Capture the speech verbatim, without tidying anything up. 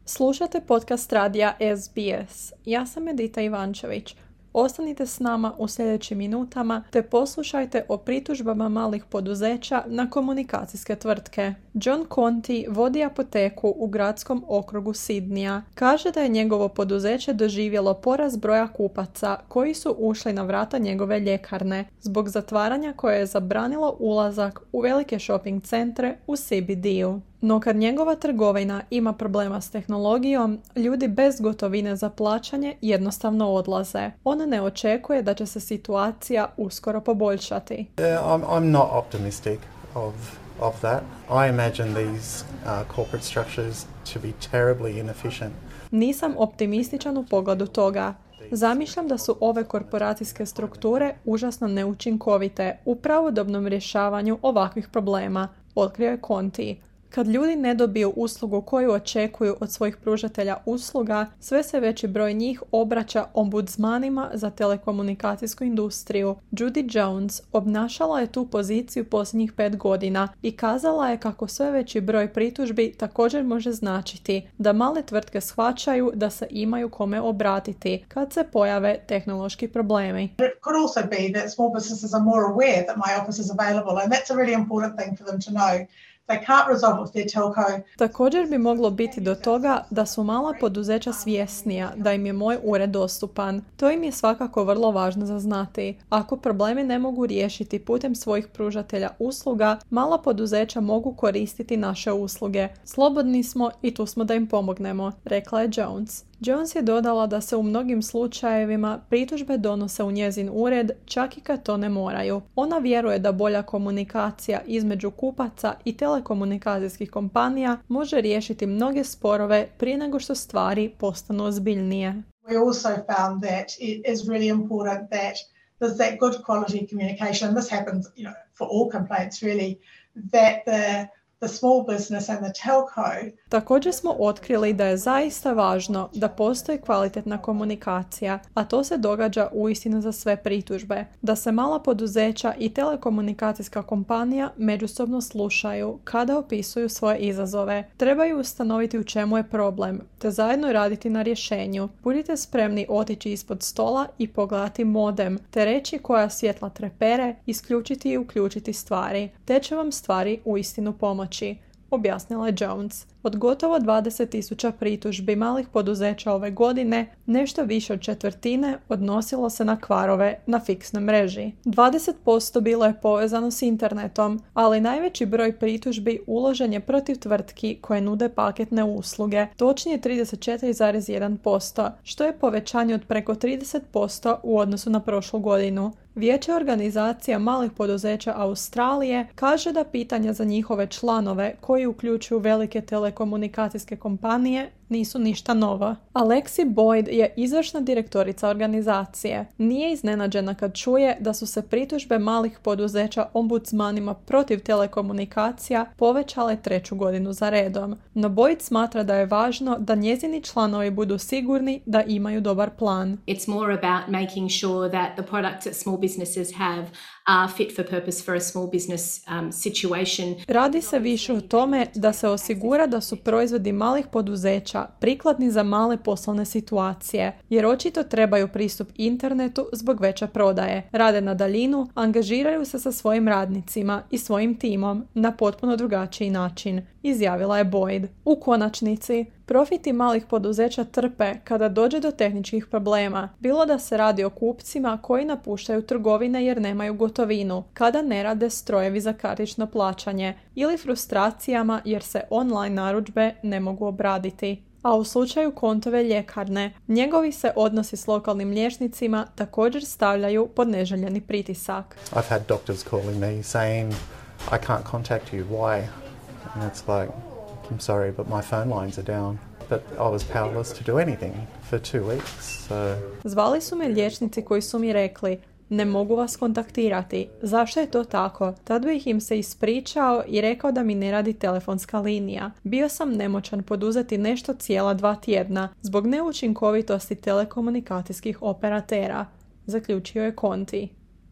Slušate podcast radija S B S. Ja sam Edita Ivančević. Ostanite s nama u sljedećim minutama te poslušajte o pritužbama malih poduzeća na komunikacijske tvrtke. John Conti vodi apoteku u gradskom okrugu Sidnija. Kaže da je njegovo poduzeće doživjelo porast broja kupaca koji su ušli na vrata njegove ljekarne zbog zatvaranja koje je zabranilo ulazak u velike shopping centre u C B D-u. No kad njegova trgovina ima problema s tehnologijom, ljudi bez gotovine za plaćanje jednostavno odlaze. On ne očekuje da će se situacija uskoro poboljšati. Yeah, I'm, I'm not optimistic of, of that. I imagine these uh, corporate structures to be terribly inefficient. Nisam optimističan u pogledu toga. Zamišljam da su ove korporacijske strukture užasno neučinkovite u pravodobnom rješavanju ovakvih problema, otkrio je Conti. Kad ljudi ne dobiju uslugu koju očekuju od svojih pružatelja usluga, sve se veći broj njih obraća ombudsmanima za telekomunikacijsku industriju. Judy Jones obnašala je tu poziciju posljednjih pet godina i kazala je kako sve veći broj pritužbi također može značiti da male tvrtke shvaćaju da se imaju kome obratiti kad se pojave tehnološki problemi. It could also be that small businesses are more aware that my office is available, and that's a really important thing for them to know. They can't resolve with their telco. Također bi moglo biti do toga da su mala poduzeća svjesnija da im je moj ured dostupan. To im je svakako vrlo važno za znati. Ako problemi ne mogu riješiti putem svojih pružatelja usluga, mala poduzeća mogu koristiti naše usluge. Slobodni smo i tu smo da im pomognemo, rekla je Jones. Jones je dodala da se u mnogim slučajevima pritužbe donose u njezin ured, čak i kad to ne moraju. Ona vjeruje da bolja komunikacija između kupaca i telekomunikacijskih kompanija može riješiti mnoge sporove prije nego što stvari postanu ozbiljnije. We also found that it is really important that there's that good quality communication, and this happens, you know, for all complaints really, that the the small business and the telco. Također smo otkrili da je zaista važno da postoji kvalitetna komunikacija, a to se događa uistinu za sve pritužbe. Da se mala poduzeća i telekomunikacijska kompanija međusobno slušaju kada opisuju svoje izazove. Trebaju ustanoviti u čemu je problem, te zajedno raditi na rješenju. Budite spremni otići ispod stola i pogledati modem, te reći koja svjetla trepere, isključiti i uključiti stvari. Te će vam stvari uistinu pomoći, objasnila je Jones. Od gotovo dvadeset tisuća pritužbi malih poduzeća ove godine, nešto više od četvrtine odnosilo se na kvarove na fiksnoj mreži. dvadeset posto bilo je povezano s internetom, ali najveći broj pritužbi uložen je protiv tvrtki koje nude paketne usluge, točnije trideset četiri zarez jedan posto, što je povećanje od preko trideset posto u odnosu na prošlu godinu. Vijeće organizacija malih poduzeća Australije kaže da pitanja za njihove članove koji uključuju velike telekomunikacijske kompanije nisu ništa novo. Alexi Boyd je izvršna direktorica organizacije. Nije iznenađena kad čuje da su se pritužbe malih poduzeća ombudsmanima protiv telekomunikacija povećale treću godinu za redom. No Boyd smatra da je važno da njezini članovi budu sigurni da imaju dobar plan. It's more about making sure that the products that small businesses have are fit for purpose for a small business um, situation. Radi se više o tome da se osigura da su proizvodi malih poduzeća prikladni za male poslovne situacije, jer očito trebaju pristup internetu zbog veće prodaje. Rade na daljinu, angažiraju se sa svojim radnicima i svojim timom na potpuno drugačiji način, izjavila je Boyd. U konačnici, profiti malih poduzeća trpe kada dođe do tehničkih problema, bilo da se radi o kupcima koji napuštaju trgovine jer nemaju gotovinu, kada ne rade strojevi za kartično plaćanje, ili frustracijama jer se online narudžbe ne mogu obraditi. A u slučaju Contove ljekarne, njegovi se odnosi s lokalnim liječnicima također stavljaju pod neželjeni pritisak. I've had doctors calling me saying, I can't contact you, why? And it's like, I'm sorry, but my phone lines are down. But I was powerless to do anything for two weeks, so... Zvali su me liječnici koji su mi rekli, ne mogu vas kontaktirati. Zašto je to tako? Tad bih im se ispričao i rekao da mi ne radi telefonska linija. Bio sam nemoćan poduzeti nešto cijela dva tjedna zbog neučinkovitosti telekomunikacijskih operatera, zaključio je Conti.